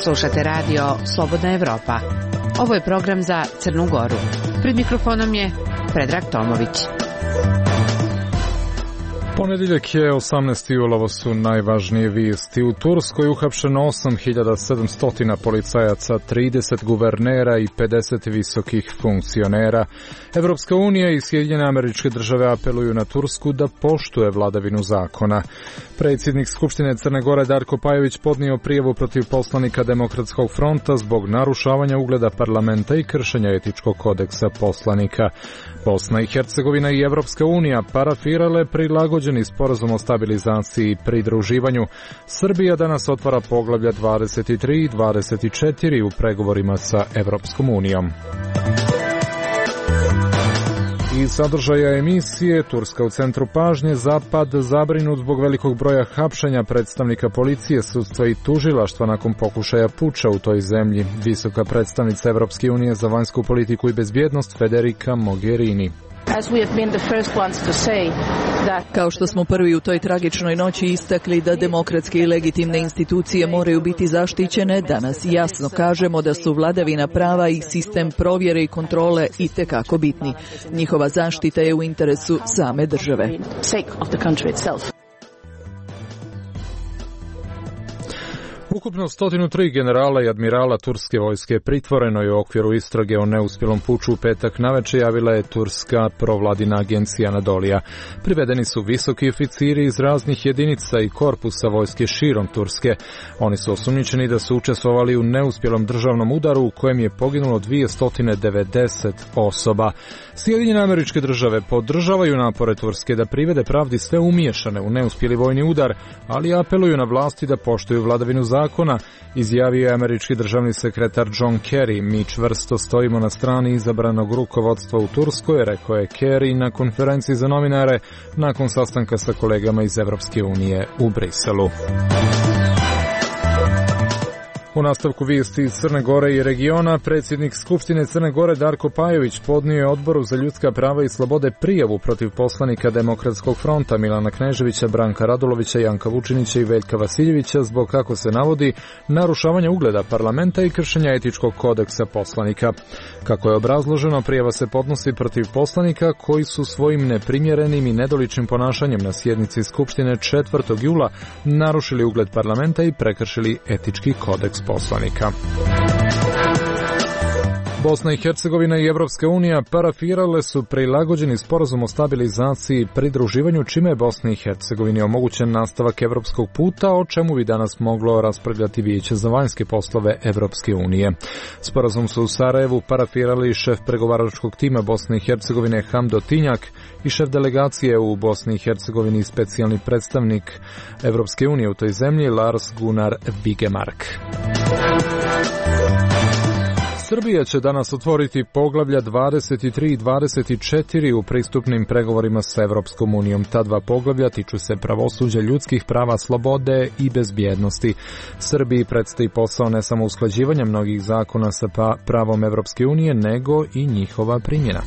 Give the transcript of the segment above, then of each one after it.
Slušate radio Slobodna Evropa. Ovo je program za Crnu Goru. Pred mikrofonom je Predrag Tomović. Ponedjeljak je 18. jul, ovo su najvažnije vijesti. U Turskoj uhapšeno 8700 policajaca, 30 guvernera i 50 visokih funkcionera. Evropska unija i Sjedinjene Američke Države apeluju na Tursku da poštuje vladavinu zakona. Predsjednik Skupštine Crne Gore Darko Pajović podnio prijavu protiv poslanika Demokratskog fronta zbog narušavanja ugleda parlamenta i kršenja etičkog kodeksa poslanika. Bosna i Hercegovina i Evropska unija parafirale prilagođeni sporazum o stabilizaciji i pridruživanju. Srbija danas otvara poglavlja 23 i 24 u pregovorima sa Evropskom unijom. Iz sadržaja emisije, Turska u centru pažnje, Zapad zabrinut zbog velikog broja hapšenja predstavnika policije, sudstva i tužilaštva nakon pokušaja puča u toj zemlji. Visoka predstavnica Evropske unije za vanjsku politiku i bezbjednost Federica Mogherini. Kao što smo prvi u toj tragičnoj noći istakli da demokratske i legitimne institucije moraju biti zaštićene, danas jasno kažemo da su vladavina prava i sistem provjere i kontrole itekako bitni. Njihova zaštita je u interesu same države. Ukupno 103 generala i admirala turske vojske pritvoreno je u okviru istrage o neuspjelom puču u petak navečer, javila je turska provladina agencija Anadolija. Privedeni su visoki oficiri iz raznih jedinica i korpusa vojske širom Turske. Oni su osumnjičeni da su učestvovali u neuspjelom državnom udaru u kojem je poginulo 290 osoba. Sjedinjene Američke Države podržavaju napore Turske da privede pravdi sve umiješane u neuspjeli vojni udar, ali apeluju na vlasti da poštuju vladavinu zakona, izjavio je američki državni sekretar John Kerry. Mi čvrsto stojimo na strani izabranog rukovodstva u Turskoj, rekao je Kerry na konferenciji za novinare nakon sastanka sa kolegama iz Evropske unije u Briselu. U nastavku vijesti iz Crne Gore i regiona, predsjednik Skupštine Crne Gore Darko Pajović podnio je Odboru za ljudska prava i slobode prijavu protiv poslanika Demokratskog fronta Milana Kneževića, Branka Radulovića, Janka Vučinića i Veljka Vasiljevića zbog, kako se navodi, narušavanja ugleda parlamenta i kršenja etičkog kodeksa poslanika. Kako je obrazloženo, prijava se podnosi protiv poslanika koji su svojim neprimjerenim i nedoličnim ponašanjem na sjednici Skupštine 4. jula narušili ugled parlamenta i prekršili etički kodeks poslanika. Bosna i Hercegovina i Evropska unija parafirale su prilagođeni sporazum o stabilizaciji i pridruživanju, čime je Bosni i Hercegovini omogućen nastavak evropskog puta, o čemu bi danas moglo raspravljati Vijeće za vanjske poslove Evropske unije. Sporazum su u Sarajevu parafirali šef pregovaračkog tima Bosne i Hercegovine Hamdo Tinjak i šef delegacije u Bosni i Hercegovini i specijalni predstavnik Evropske unije u toj zemlji Lars Gunnar Vigemark. Srbija će danas otvoriti poglavlja 23 i 24 u pristupnim pregovorima sa Evropskom unijom. Ta dva poglavlja tiču se pravosuđa, ljudskih prava, slobode i bezbjednosti. Srbiji predstoji posao ne samo usklađivanja mnogih zakona sa pravom Evropske unije, nego i njihova primjena.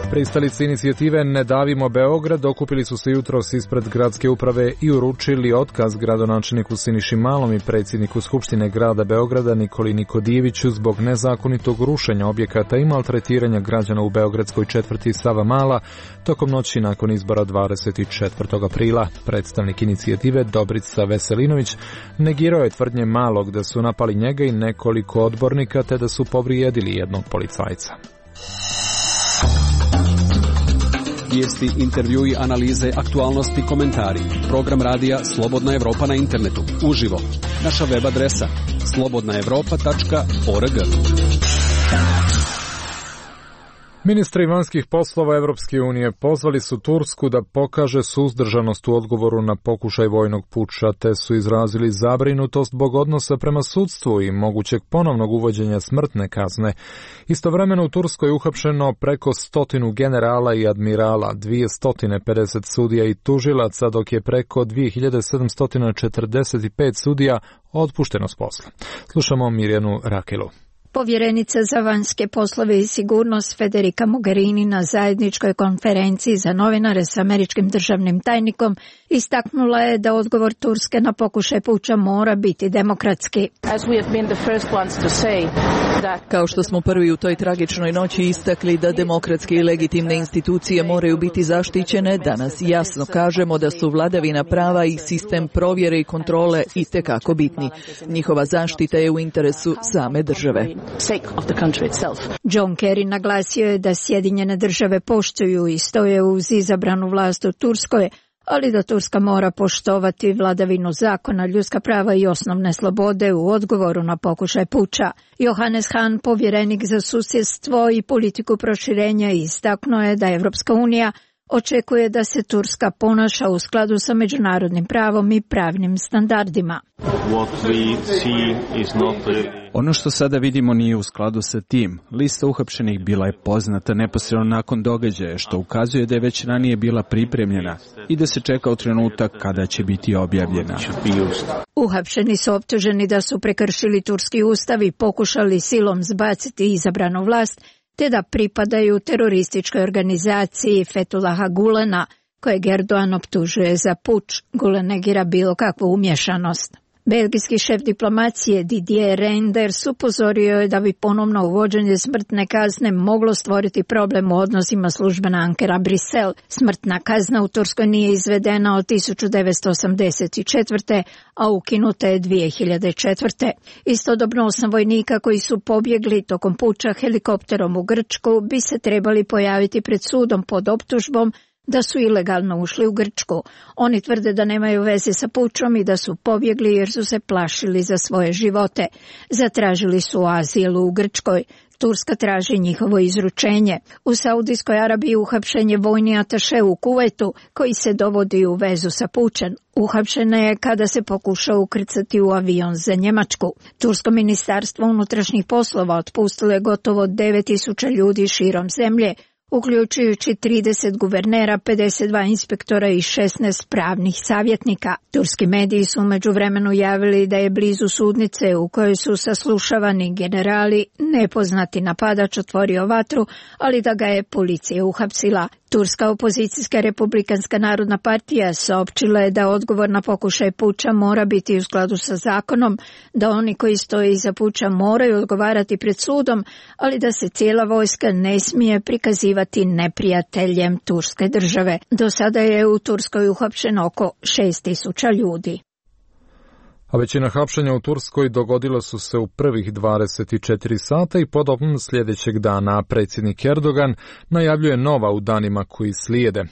Pristalice inicijative Ne davimo Beograd okupili su se jutros ispred gradske uprave i uručili otkaz gradonačelniku Siniši Malom i predsjedniku Skupštine grada Beograda Nikoli Nikodijeviću zbog nezakonitog rušenja objekata i maltretiranja građana u beogradskoj četvrti Savamala tokom noći nakon izbora 24. aprila. Predstavnik inicijative Dobrica Veselinović negirao je tvrdnje Malog da su napali njega i nekoliko odbornika te da su povrijedili jednog policajca. Vijesti, intervjui, analize, aktualnosti, komentari. Program radija Slobodna Evropa na internetu. Uživo. Naša web adresa slobodnaevropa.org. Ministri vanjskih poslova Evropske unije pozvali su Tursku da pokaže suzdržanost u odgovoru na pokušaj vojnog puča, te su izrazili zabrinutost zbog odnosa prema sudstvu i mogućeg ponovnog uvođenja smrtne kazne. Istovremeno u Turskoj je uhapšeno preko 100 generala i admirala, 250 sudija i tužilaca, dok je preko 2745 sudija otpušteno s posla. Slušamo Mirjanu Rakelu. Povjerenica za vanjske poslove i sigurnost Federica Mogherini na zajedničkoj konferenciji za novinare s američkim državnim tajnikom istaknula je da odgovor Turske na pokušaj puča mora biti demokratski. Kao što smo prvi u toj tragičnoj noći istakli da demokratske i legitimne institucije moraju biti zaštićene, danas jasno kažemo da su vladavina prava i sistem provjere i kontrole itekako bitni. Njihova zaštita je u interesu same države. John Kerry naglasio je da Sjedinjene države poštuju i stoje uz izabranu vlast u Turskoj, ali da Turska mora poštovati vladavinu zakona, ljudska prava i osnovne slobode u odgovoru na pokušaj puča. Johannes Hahn, povjerenik za susjedstvo i politiku proširenja, istaknuo je da Evropska unija očekuje da se Turska ponaša u skladu sa međunarodnim pravom i pravnim standardima. Ono što sada vidimo nije u skladu sa tim. Lista uhapšenih bila je poznata neposredno nakon događaja, što ukazuje da je već ranije bila pripremljena i da se čeka u trenutak kada će biti objavljena. Uhapšeni su optuženi da su prekršili turski ustav i pokušali silom zbaciti izabranu vlast, te da pripadaju terorističkoj organizaciji Fethullaha Gulena, kojeg Erdogan optužuje za puč. Gulen negira bilo kakvu umješanost. Belgijski šef diplomacije Didier Reynders upozorio je da bi ponovno uvođenje smrtne kazne moglo stvoriti problem u odnosima službena Ankara-Brisel. Smrtna kazna u Turskoj nije izvedena od 1984. a ukinuta je 2004. Istodobno 8 vojnika koji su pobjegli tokom puča helikopterom u Grčku bi se trebali pojaviti pred sudom pod optužbom da su ilegalno ušli u Grčku. Oni tvrde da nemaju veze sa pučom i da su pobjegli jer su se plašili za svoje živote. Zatražili su azil u Grčkoj. Turska traži njihovo izručenje. U Saudijskoj Arabiji uhapšen je vojni ataše u Kuvajtu koji se dovodi u vezu sa pučem. Uhapšena je kada se pokušao ukrcati u avion za Njemačku. Tursko ministarstvo unutrašnjih poslova otpustilo je gotovo 9.000 ljudi širom zemlje, uključujući 30 guvernera, 52 inspektora i 16 pravnih savjetnika. Turski mediji su u međuvremenu javili da je blizu sudnice u kojoj su saslušavani generali nepoznati napadač otvorio vatru, ali da ga je policija uhapsila. Turska opozicijska Republikanska narodna partija saopćila je da odgovor na pokušaj puča mora biti u skladu sa zakonom, da oni koji stoje iza puča moraju odgovarati pred sudom, ali da se cijela vojska ne smije prikazivati neprijateljem turske države. Do sada je u Turskoj uhapšeno oko 6.000 ljudi. A većina hapšenja u Turskoj dogodila su se u prvih 24 sata i podobno sljedećeg dana predsjednik Erdogan najavljuje nova u danima koji slijede.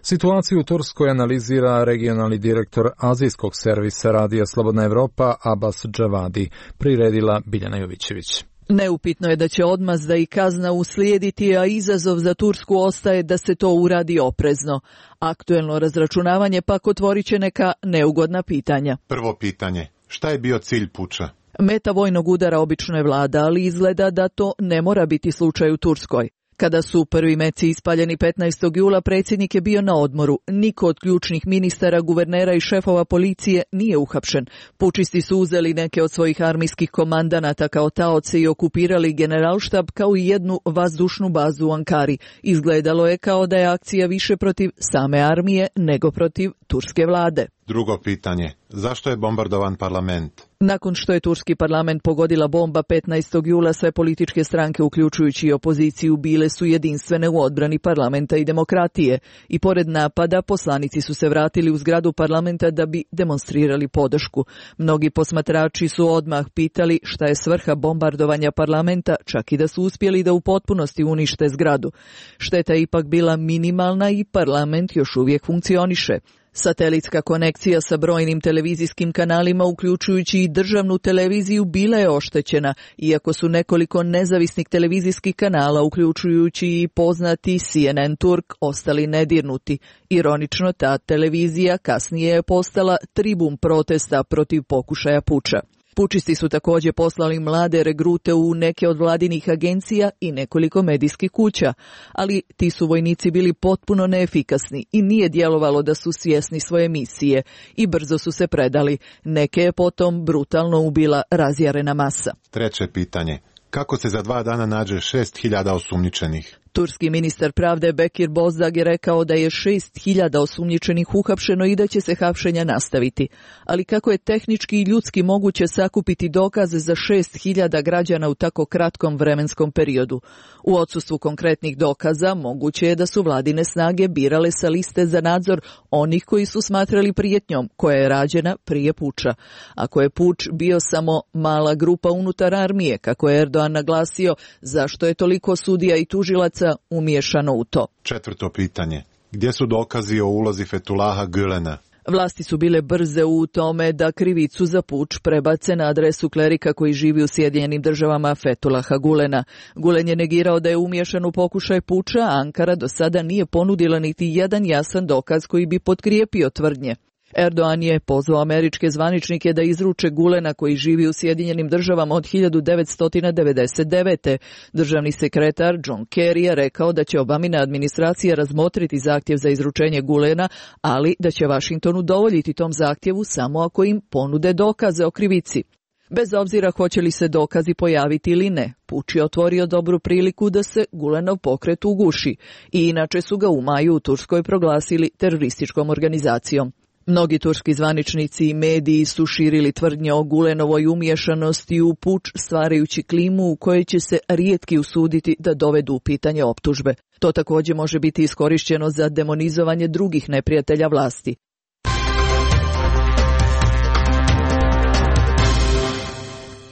Situaciju u Turskoj analizira regionalni direktor azijskog servisa radija Slobodna Evropa Abbas Džavadi, priredila Biljana Jovićević. Neupitno je da će odmazda i kazna uslijediti, a izazov za Tursku ostaje da se to uradi oprezno. Aktuelno razračunavanje pak otvorit će neka neugodna pitanja. Prvo pitanje, šta je bio cilj puča? Meta vojnog udara obično je vlada, ali izgleda da to ne mora biti slučaj u Turskoj. Kada su prvi meci ispaljeni 15. jula, predsjednik je bio na odmoru. Niko od ključnih ministara, guvernera i šefova policije nije uhapšen. Pučisti su uzeli neke od svojih armijskih komandanata kao taoce i okupirali generalštab kao i jednu vazdušnu bazu u Ankari. Izgledalo je kao da je akcija više protiv same armije nego protiv turske vlade. Drugo pitanje, zašto je bombardovan parlament? Nakon što je turski parlament pogodila bomba 15. jula, sve političke stranke, uključujući i opoziciju, bile su jedinstvene u odbrani parlamenta i demokratije. I pored napada, poslanici su se vratili u zgradu parlamenta da bi demonstrirali podršku. Mnogi posmatrači su odmah pitali šta je svrha bombardovanja parlamenta, čak i da su uspjeli da u potpunosti unište zgradu. Šteta je ipak bila minimalna i parlament još uvijek funkcioniše. Satelitska konekcija sa brojnim televizijskim kanalima, uključujući i državnu televiziju, bila je oštećena, iako su nekoliko nezavisnih televizijskih kanala, uključujući i poznati CNN Turk, ostali nedirnuti. Ironično, ta televizija kasnije je postala tribun protesta protiv pokušaja puča. Pučisti su također poslali mlade regrute u neke od vladinih agencija i nekoliko medijskih kuća, ali ti su vojnici bili potpuno neefikasni i nije djelovalo da su svjesni svoje misije i brzo su se predali. Neke je potom brutalno ubila razjarena masa. Treće pitanje, Kako se za 2 dana nađe 6.000 osumnjičenih? Turski ministar pravde Bekir Bozdag je rekao da je 6.000 osumnjičenih uhapšeno i da će se hapšenja nastaviti. Ali kako je tehnički i ljudski moguće sakupiti dokaze za 6.000 građana u tako kratkom vremenskom periodu? U odsustvu konkretnih dokaza moguće je da su vladine snage birale sa liste za nadzor onih koji su smatrali prijetnjom koja je rađena prije puča. Ako je puč bio samo mala grupa unutar armije, kako je Erdogan naglasio, zašto je toliko sudija i tužilaca umiješano u to? 4. pitanje. Gdje su dokazi o ulozi Fethullaha Gülena? Vlasti su bile brze u tome da krivicu za puč prebace na adresu klerika koji živi u Sjedinjenim Državama Fethullaha Gülena. Gülen je negirao da je umiješan u pokušaj puča, a Ankara do sada nije ponudila niti jedan jasan dokaz koji bi potkrijepio tvrdnje. Erdogan je pozvao američke zvaničnike da izruče Gülena koji živi u Sjedinjenim Državama od 1999. Državni sekretar John Kerry je rekao da će Obamina administracija razmotriti zahtjev za izručenje Gülena, ali da će Washington udovoljiti tom zahtjevu samo ako im ponude dokaze o krivici. Bez obzira hoće li se dokazi pojaviti ili ne, puč je otvorio dobru priliku da se Gülenov pokret uguši i inače su ga u maju u Turskoj proglasili terorističkom organizacijom. Mnogi turski zvaničnici i mediji su širili tvrdnje o Gülenovoj umiješanosti u puč, stvarajući klimu u kojoj će se rijetki usuditi da dovedu u pitanje optužbe. To također može biti iskorišteno za demonizovanje drugih neprijatelja vlasti.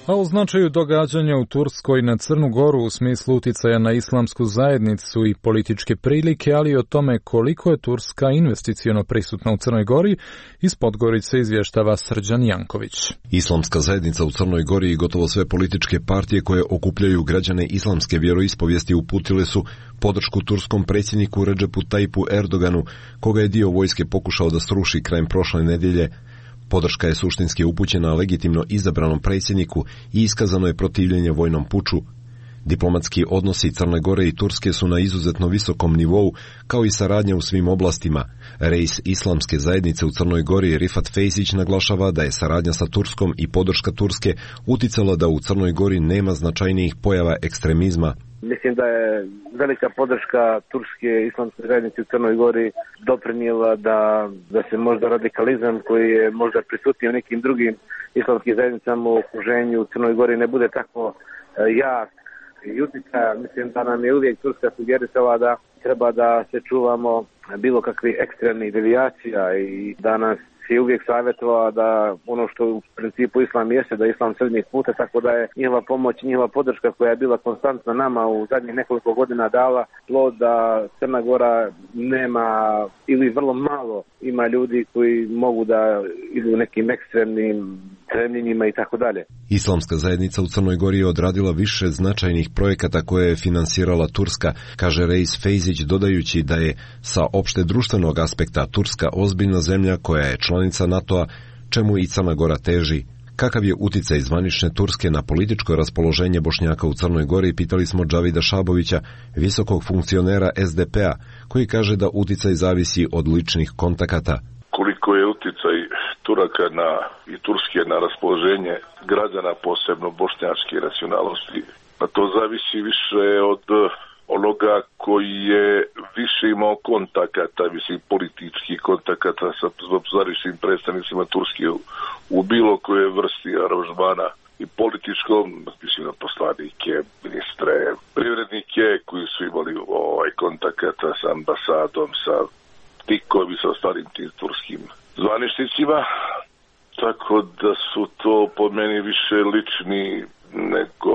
A o značaju događanja u Turskoj na Crnu Goru u smislu uticaja na islamsku zajednicu i političke prilike, ali i o tome koliko je Turska investiciono prisutna u Crnoj Gori, iz Podgorice izvještava Srđan Janković. Islamska zajednica u Crnoj Gori i gotovo sve političke partije koje okupljaju građane islamske vjeroispovijesti uputile su podršku turskom predsjedniku Recepu Tayyipu Erdoganu, koga je dio vojske pokušao da sruši krajem prošle nedjelje. Podrška je suštinski upućena legitimno izabranom predsjedniku i iskazano je protivljenje vojnom puču. Diplomatski odnosi Crne Gore i Turske su na izuzetno visokom nivou, kao i saradnja u svim oblastima. Reis islamske zajednice u Crnoj Gori Rifat Fejzić naglašava da je saradnja sa Turskom i podrška Turske uticala da u Crnoj Gori nema značajnijih pojava ekstremizma. Mislim da je velika podrška turske islamske zajednice u Crnoj Gori doprinijela da se možda radikalizam koji je možda prisutniji u nekim drugim islamskim zajednicama u okruženju u Crnoj Gori ne bude tako jak i uticaja. Mislim da nam je uvijek Turska sugerisala da treba da se čuvamo bilo kakvih ekstremnih devijacija i da nas je uvijek savjetovala da ono što u principu islam jeste, da islam srednjih puta, tako da je njihova pomoć, njihova podrška koja je bila konstantna nama u zadnjih nekoliko godina dala plod da Crna Gora nema ili vrlo malo ima ljudi koji mogu da idu nekim ekstremnim stremljenjima i tako dalje. Islamska zajednica u Crnoj Gori je odradila više značajnih projekata koje je finansirala Turska, kaže Reis Fejzić, dodajući da je sa opšte društvenog aspekta Turska ozbiljna zemlja koja je članica NATO-a, čemu i Crna Gora teži. Kakav je uticaj zvanične Turske na političko raspoloženje Bošnjaka u Crnoj Gori, pitali smo Džavida Šabovića, visokog funkcionera SDP-a, koji kaže da uticaj zavisi od ličnih kontakata. Koliko je uticaj Turaka i Turske na raspoloženje građana, posebno bošnjačke nacionalnosti, a to zavisi više od onoga koji je više imao kontakata, mislim političkih kontakata sa zvaničnim predstavnicima Turske u bilo koje vrsti aranžmana i političkom, mislim na poslanike, ministre, privrednike koji su imali kontakata sa ambasadom, sa tikovi, sa ostalim tim turskim zvaničnicima, tako da su to po meni više lični nego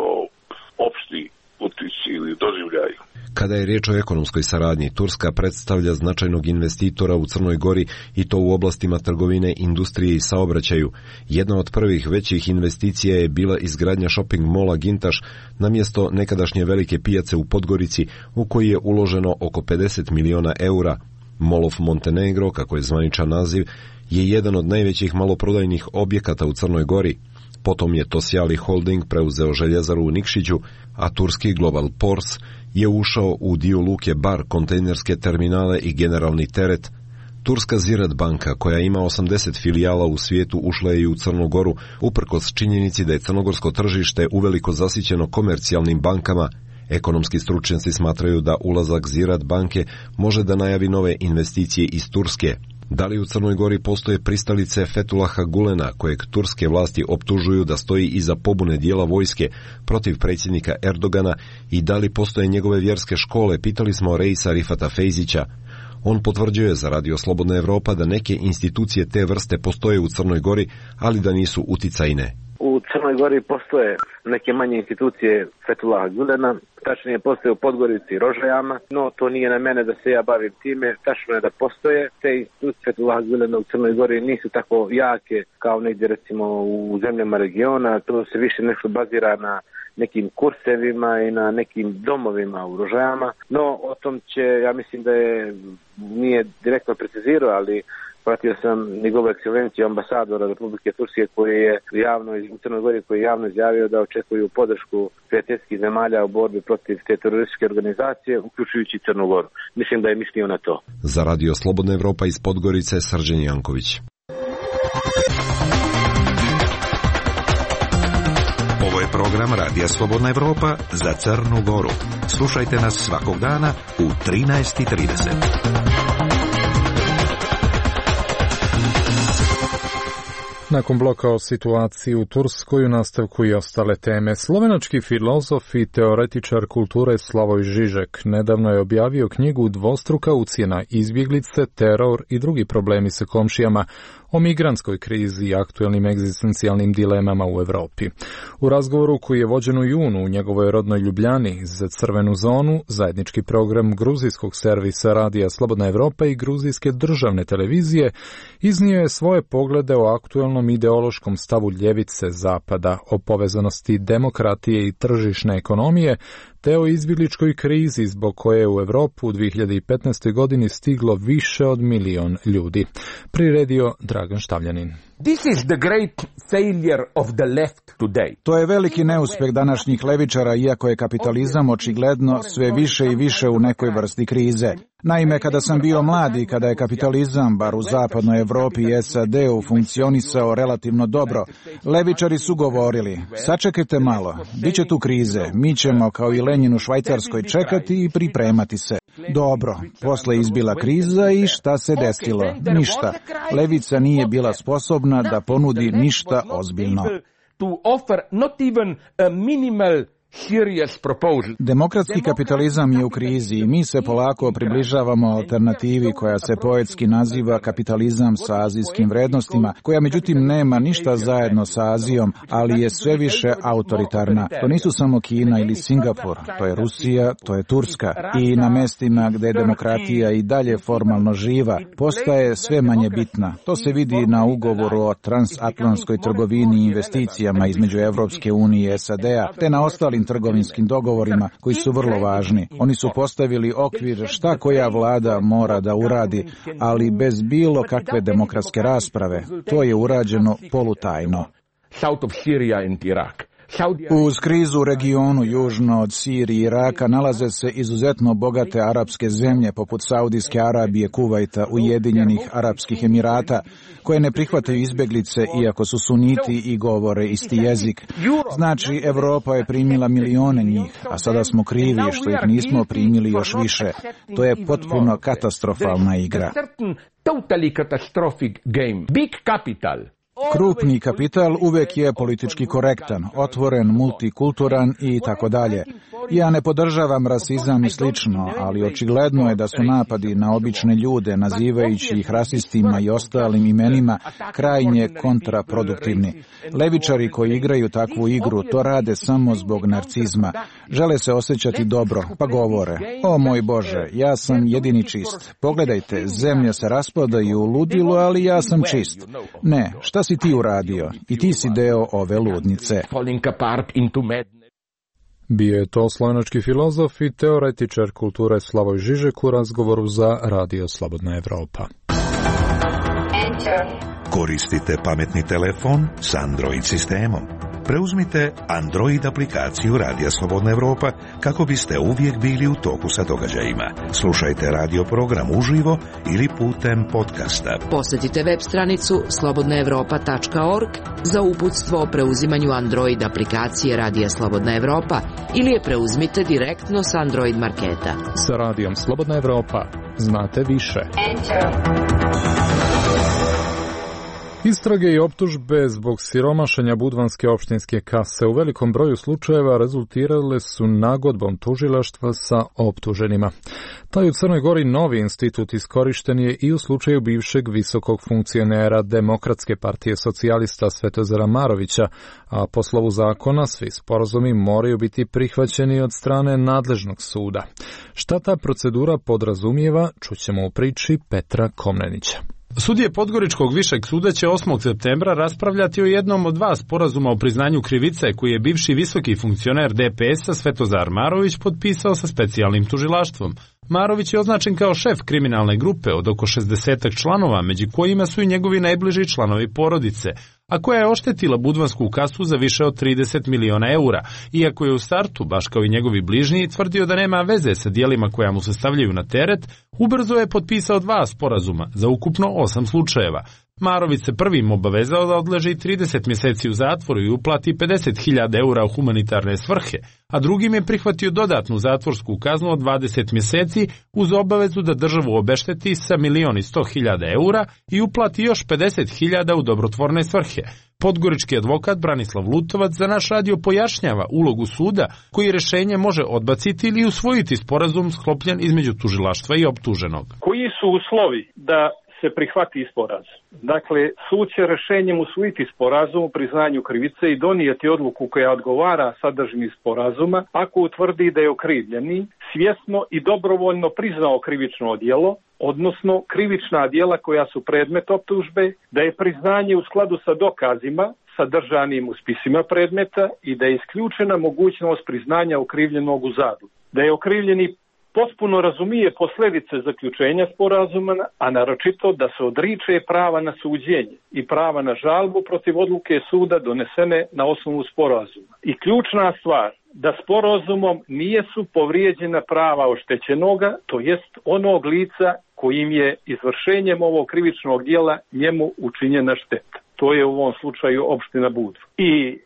opšti utici ili doživljaj. Kada je riječ o ekonomskoj saradnji, Turska predstavlja značajnog investitora u Crnoj Gori i to u oblastima trgovine, industrije i saobraćaju. Jedna od prvih većih investicija je bila izgradnja shopping mola Gintaš na mjesto nekadašnje velike pijace u Podgorici, u koji je uloženo oko 50 miliona eura. Mall of Montenegro, kako je zvaničan naziv, je jedan od najvećih maloprodajnih objekata u Crnoj Gori. Potom je Tosjali Holding preuzeo željezaru u Nikšiću, a turski Global Ports je ušao u dio luke Bar, kontejnerske terminale i generalni teret. Turska Ziraat banka, koja ima 80 filijala u svijetu, ušla je i u Crnu Goru, uprkos činjenici da je crnogorsko tržište uveliko zasićeno komercijalnim bankama. Ekonomski stručnjaci smatraju da ulazak Ziraat banke može da najavi nove investicije iz Turske. Da li u Crnoj Gori postoje pristalice Fethullaha Gulena, kojeg turske vlasti optužuju da stoji iza pobune dijela vojske protiv predsjednika Erdogana, i da li postoje njegove vjerske škole, pitali smo Reisa Rifata Fejzića. On potvrđuje za Radio Slobodna Evropa da neke institucije te vrste postoje u Crnoj Gori, ali da nisu uticajne. U Crnoj Gori postoje neke manje institucije Fethullaha Gulena, tačnije postoje u Podgorici i Rožajama, no to nije na mene da se ja bavim time. Tačno je da postoje te institucije Fethullaha Gulena u Crnoj Gori, nisu tako jake kao negdje recimo u zemljama regiona, to se više nešto bazira na nekim kursevima i na nekim domovima u Rožajama, no o tom će, ja mislim da nije direktno precizirao, ali pratio sam njegovu ekscelenciju ambasadora Republike Turske koji je javno u Crnoj Gori, koji je javno izjavio da očekuju podršku prijateljskih zemalja u borbi protiv te terorističke organizacije, uključujući Crnu Goru. Mislim da je mislio na to. Za Radio Slobodna Evropa iz Podgorice, Srđan Janković. Ovo je program Radija Slobodna Evropa za Crnu Goru. Slušajte nas svakog dana u 13:30. Nakon bloka o situaciji u Turskoj, u nastavku i ostale teme. Slovenački filozof i teoretičar kulture Slavoj Žižek nedavno je objavio knjigu Dvostruka ucjena, izbjeglice, teror i drugi problemi sa komšijama, o migrantskoj krizi i aktuelnim egzistencijalnim dilemama u Evropi. U razgovoru koji je vođen u junu u njegovoj rodnoj Ljubljani za Crvenu zonu, zajednički program gruzijskog servisa Radija Slobodna Evropa i gruzijske državne televizije, iznio je svoje poglede o aktuelnom ideološkom stavu ljevice Zapada, o povezanosti demokratije i tržišne ekonomije, te o izbjegličkoj krizi zbog koje je u Evropu u 2015. godini stiglo više od 1 milion ljudi. Priredio Dragan Štavljanin. This is the great failure of the left today. To je veliki neuspjeh današnjih levičara, iako je kapitalizam očigledno sve više i više u nekoj vrsti krize. Naime, kada sam bio mlad i kada je kapitalizam, bar u zapadnoj Evropi i SAD-u, funkcionisao relativno dobro, levičari su govorili: sačekajte malo, bit će tu krize, mi ćemo kao i Lenjin u Švajcarskoj čekati i pripremati se. Dobro, posle izbila kriza i šta se desilo? Ništa. Levica nije bila sposobna da ponudi ništa ozbiljno. Demokratski kapitalizam je u krizi i mi se polako približavamo alternativi koja se poetski naziva kapitalizam sa azijskim vrednostima, koja međutim nema ništa zajedno sa Azijom, ali je sve više autoritarna. To nisu samo Kina ili Singapur, to je Rusija, to je Turska. I na mestima gde je demokratija i dalje formalno živa, postaje sve manje bitna. To se vidi na ugovoru o transatlantskoj trgovini i investicijama između Evropske unije i SAD-a, te na ostalim trgovinskim dogovorima koji su vrlo važni. Oni su postavili okvir šta koja vlada mora da uradi, ali bez bilo kakve demokratske rasprave. To je urađeno polutajno. Uz krizu u regionu južno od Sirije i Iraka nalaze se izuzetno bogate arapske zemlje poput Saudijske Arabije, Kuvajta, Ujedinjenih Arapskih Emirata, koje ne prihvataju izbjeglice iako su suniti i govore isti jezik. Znači, Evropa je primila milione njih, a sada smo krivi što ih nismo primili još više. To je potpuno katastrofalna igra. Krupni kapital uvek je politički korektan, otvoren, multikulturan i tako dalje. Ja ne podržavam rasizam i slično, ali očigledno je da su napadi na obične ljude, nazivajući ih rasistima i ostalim imenima, krajnje kontraproduktivni. Levičari koji igraju takvu igru to rade samo zbog narcizma. Žele se osjećati dobro, pa govore: o moj Bože, ja sam jedini čist. Pogledajte, zemlja se raspada i u ludilu, ali ja sam čist. Ne, šta si ti uradio? I ti si deo ove ludnice. Bio je to slovenački filozof i teoretičar kulture Slavoj Žižek u razgovoru za Radio Slobodna Evropa. Koristite pametni telefon s Android sistemom. Preuzmite Android aplikaciju Radija Slobodna Evropa kako biste uvijek bili u toku sa događajima. Slušajte radio program uživo ili putem podcasta. Posjetite web stranicu slobodnaevropa.org za uputstvo o preuzimanju Android aplikacije Radija Slobodna Evropa ili je preuzmite direktno s Android marketa. Sa Radijom Slobodna Evropa znate više. Istrage i optužbe zbog siromašenja budvanske opštinske kase u velikom broju slučajeva rezultirale su nagodbom tužilaštva sa optuženima. Taj u Crnoj Gori novi institut iskorišten je i u slučaju bivšeg visokog funkcionera Demokratske partije socijalista Svetozara Marovića, a po slovu zakona svi sporazumi moraju biti prihvaćeni od strane nadležnog suda. Šta ta procedura podrazumijeva, čućemo u priči Petra Komnenića. Sudije Podgoričkog višeg suda će 8. septembra raspravljati o jednom od dva sporazuma o priznanju krivice koji je bivši visoki funkcioner DPS-a Svetozar Marović potpisao sa specijalnim tužilaštvom. Marović je označen kao šef kriminalne grupe od oko 60 članova, među kojima su i njegovi najbliži članovi porodice, a koja je oštetila budvansku kasu za više od 30 miliona eura, iako je u startu, baš kao i njegovi bližnji, tvrdio da nema veze sa dijelima koja mu se stavljaju na teret, ubrzo je potpisao dva sporazuma za ukupno 8 slučajeva. Marović se prvim obavezao da odleži 30 mjeseci u zatvoru i uplati 50.000 eura u humanitarne svrhe, a drugim je prihvatio dodatnu zatvorsku kaznu od 20 mjeseci uz obavezu da državu obešteti sa 1.100.000 eura i uplati još 50.000 u dobrotvorne svrhe. Podgorički advokat Branislav Lutovac za naš radio pojašnjava ulogu suda koji rješenje može odbaciti ili usvojiti sporazum sklopljen između tužilaštva i optuženog. Koji su uslovi da se prihvati sporazum? Dakle, sud će rješenjem usvojiti sporazum o priznanju krivice i donijeti odluku koja odgovara sadržini sporazuma ako utvrdi da je okrivljeni svjesno i dobrovoljno priznao krivično djelo, odnosno krivična djela koja su predmet optužbe, da je priznanje u skladu sa dokazima sadržanim u spisima predmeta i da je isključena mogućnost priznanja okrivljenog u zadu, da je okrivljeni potpuno razumije posljedice zaključenja sporazuma, a naročito da se odriče prava na suđenje i prava na žalbu protiv odluke suda donesene na osnovu sporazuma. I ključna stvar, da sporazumom nije su povrijeđena prava oštećenoga, to jest onog lica kojim je izvršenjem ovog krivičnog djela njemu učinjena šteta. To je u ovom slučaju opština Budva. I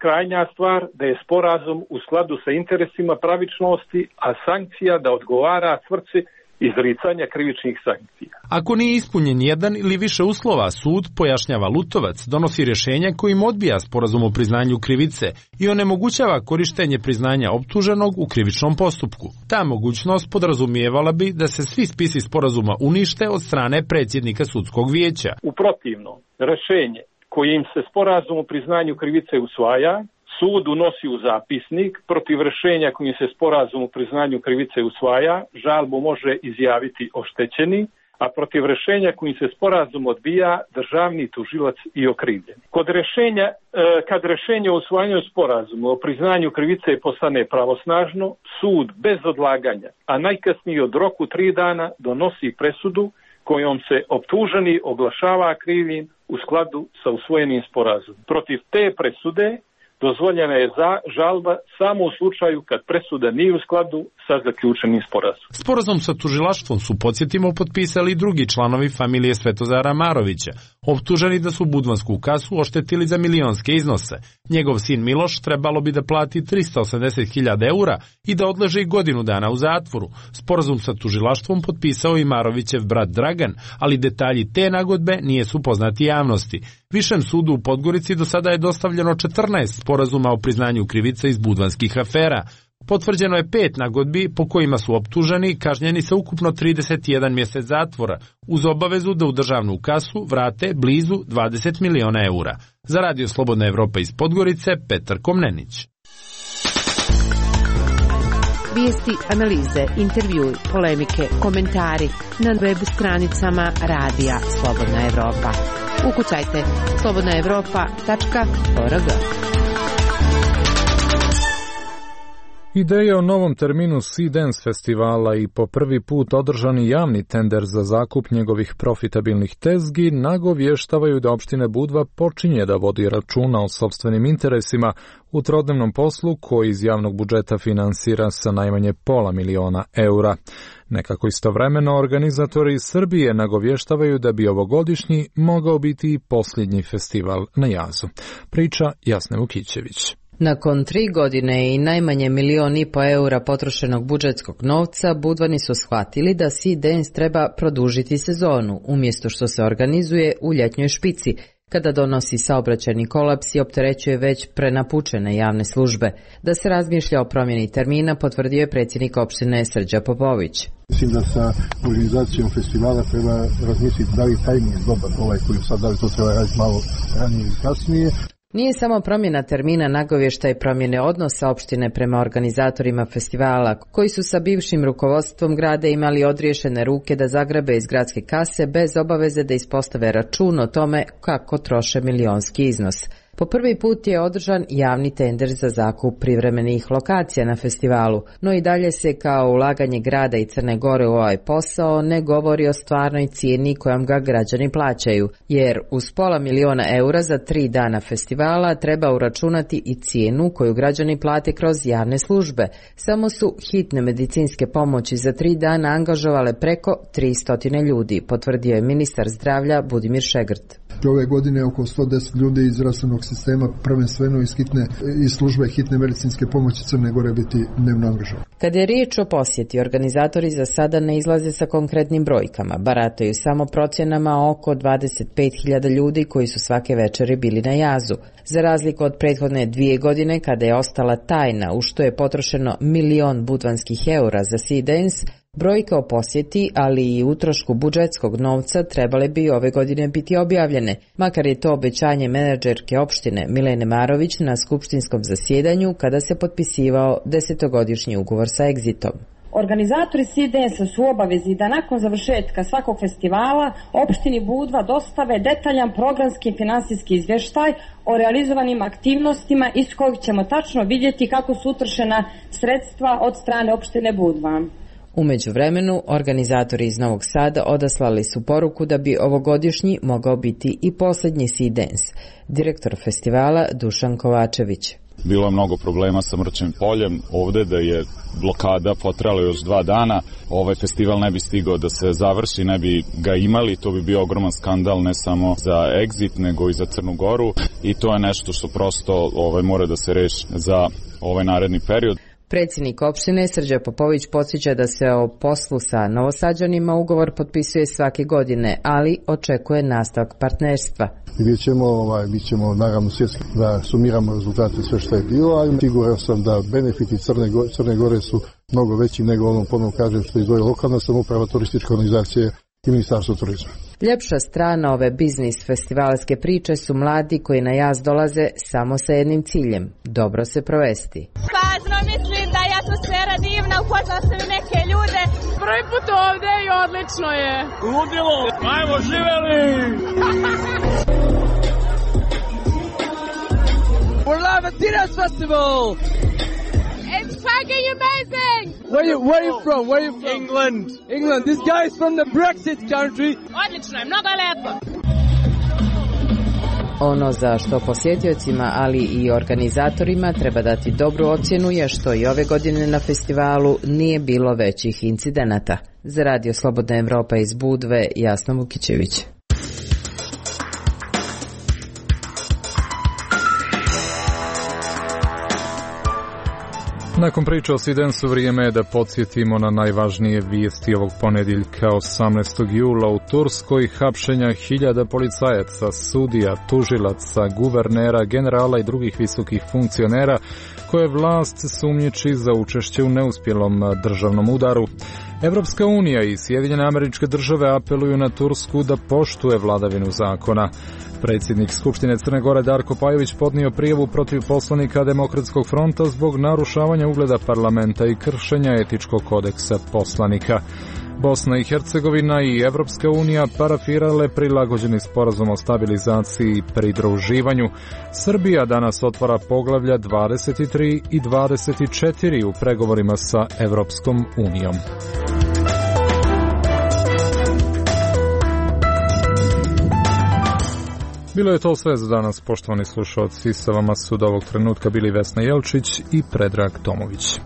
krajnja stvar, da je sporazum u skladu sa interesima pravičnosti, a sankcija da odgovara svrsi izricanja krivičnih sankcija. Ako nije ispunjen jedan ili više uslova, sud, pojašnjava Lutovac, donosi rješenje kojim odbija sporazum o priznanju krivice i onemogućava korištenje priznanja optuženog u krivičnom postupku. Ta mogućnost podrazumijevala bi da se svi spisi sporazuma unište od strane predsjednika sudskog vijeća. U protivnom, rješenje kojim se sporazum o priznanju krivice usvaja, sud unosi u zapisnik, protiv rješenja kojim se sporazum o priznanju krivice usvaja, žalbu može izjaviti oštećeni, a protiv rješenja kojim se sporazum odbija, državni tužilac i okrivljeni. Kad rješenje o usvajanju sporazuma o priznanju krivice postane pravosnažno, sud bez odlaganja, a najkasnije od roku 3 dana, donosi presudu kojom se optuženi oglašava krivim u skladu sa usvojenim sporazumom. Protiv te presude dozvoljena je žalba samo u slučaju kad presuda nije u skladu sa zaključenim sporazumom. Sporazum sa tužilaštvom su, podsjetimo, potpisali drugi članovi familije Svetozara Marovića, optuženi da su budvansku kasu oštetili za milionske iznose. Njegov sin Miloš trebalo bi da plati 380.000 eura i da odleži godinu dana u zatvoru. Sporazum sa tužilaštvom potpisao i Marovićev brat Dragan, ali detalji te nagodbe nije su poznati javnosti. Višem sudu u Podgorici do sada je dostavljeno 14 sporazuma o priznanju krivice iz budvanskih afera. Potvrđeno je 5 nagodbi po kojima su optuženi kažnjeni sa ukupno 31 mjesec zatvora, uz obavezu da u državnu kasu vrate blizu 20 miliona eura. Za Radio Slobodna Evropa iz Podgorice, Petar Komnenić. Vijesti, analize, intervjui, polemike, komentari na web stranicama Radija Slobodna Evropa. Ukucajte slobodnaevropa.org. Ideja o novom terminu Sea Dance festivala i po prvi put održani javni tender za zakup njegovih profitabilnih tezgi nagovještavaju da opština Budva počinje da vodi računa o sopstvenim interesima u trodnevnom poslu koji iz javnog budžeta finansira sa najmanje €500.000. Nekako istovremeno organizatori iz Srbije nagovještavaju da bi ovogodišnji mogao biti i posljednji festival na jazu. Priča Jasne Vukićević. Nakon 3 godine i najmanje €1,5 potrošenog budžetskog novca, Budvani su shvatili da Sea Dance treba produžiti sezonu, umjesto što se organizuje u ljetnjoj špici, kada donosi saobraćajni kolaps i opterećuje već prenapučene javne službe. Da se razmišlja o promjeni termina, potvrdio je predsjednik opštine Srđa Popović. Mislim da sa organizacijom festivala treba razmisliti da li tajming je dobar koji sad, da li to treba raditi malo ranije i kasnije. Nije samo promjena termina nagovještaj promjene odnosa opštine prema organizatorima festivala, koji su sa bivšim rukovodstvom grada imali odriješene ruke da zagrabe iz gradske kase bez obaveze da ispostave račun o tome kako troše milionski iznos. Po prvi put je održan javni tender za zakup privremenih lokacija na festivalu, no i dalje se kao ulaganje grada i Crne Gore u ovaj posao ne govori o stvarnoj cijeni kojom ga građani plaćaju, jer uz €500.000 za 3 dana festivala treba uračunati i cijenu koju građani plate kroz javne službe. Samo su hitne medicinske pomoći za 3 dana angažovale preko 300 ljudi, potvrdio je ministar zdravlja Budimir Šegrt. Ove godine oko 110 ljudi iz zdravstvenog sistema, prvenstveno iz službe hitne medicinske pomoći Crne Gore biti dnevno angažovani. Kada je riječ o posjeti, organizatori za sada ne izlaze sa konkretnim brojkama, barataju samo procjenama oko 25.000 ljudi koji su svake večeri bili na jazu. Za razliku od prethodne 2 godine kada je ostala tajna u što je potrošeno €1.000.000 budvanskih eura za Sea Dance, brojke o posjeti, ali i utrošku budžetskog novca trebale bi ove godine biti objavljene, makar je to obećanje menadžerke opštine Milene Marović na skupštinskom zasjedanju kada se potpisivao 10-godišnji ugovor sa Exitom. Organizatori Sea Dance su u obavezi da nakon završetka svakog festivala opštini Budva dostave detaljan programski i finansijski izvještaj o realizovanim aktivnostima iz kojih ćemo tačno vidjeti kako su utrošena sredstva od strane opštine Budva. U međuvremenu, organizatori iz Novog Sada odaslali su poruku da bi ovogodišnji mogao biti i posljednji Sea Dance. Direktor festivala Dušan Kovačević. Bilo je mnogo problema sa Mrčevim poljem, ovde da je blokada potrajala još 2 dana, ovaj festival ne bi stigao da se završi, ne bi ga imali, to bi bio ogroman skandal ne samo za Exit nego i za Crnu Goru i to je nešto što prosto mora da se reši za ovaj naredni period. Predsjednik opštine Srđa Popović podsjeća da se o poslu sa Novosađanima ugovor potpisuje svake godine, ali očekuje nastavak partnerstva. Vidjet ćemo naravno svjetski da sumiramo rezultate sve što je bilo, ali siguran sam da benefiti Crne Gore su mnogo veći nego onom ponovno kažem što izdvoji lokalna samouprava, turističke organizacije i Ministarstvo turizma. Ljepša strana ove biznis festivalske priče su mladi koji na jaz dolaze samo sa jednim ciljem, dobro se provesti. Pazno, mislim da je atmosfera divna, upoznala sam i neke ljude. Prvi put ovdje i odlično je. Ludilo, ajmo živeli! We're live at Dinas Festival! It's fucking amazing! Where are you from? England. This guy is from the Brexit country. Odlično je, mnogo je lepo. Ono za što posjetiocima, ali i organizatorima treba dati dobru ocjenu je što i ove godine na festivalu nije bilo većih incidenata. Za Radio Slobodna Evropa iz Budve, Jasna Vukićević. Nakon priče o Sea Dance-u vrijeme je da podsjetimo na najvažnije vijesti ovog ponedjeljka 18. jula u Turskoj, hapšenja 1000 policajaca, sudija, tužilaca, guvernera, generala i drugih visokih funkcionera koje vlast sumnjiči za učešće u neuspjelom državnom udaru. Evropska unija i Sjedinjene Američke Države apeluju na Tursku da poštuje vladavinu zakona. Predsjednik Skupštine Crne Gore Darko Pajović podnio prijavu protiv poslanika Demokratskog fronta zbog narušavanja ugleda parlamenta i kršenja etičkog kodeksa poslanika. Bosna i Hercegovina i Evropska unija parafirale prilagođeni sporazum o stabilizaciji i pridruživanju. Srbija danas otvara poglavlja 23 i 24 u pregovorima sa Evropskom unijom. Bilo je to sve za danas, poštovani slušalci. Sa vama su do ovog trenutka bili Vesna Jelčić i Predrag Tomović.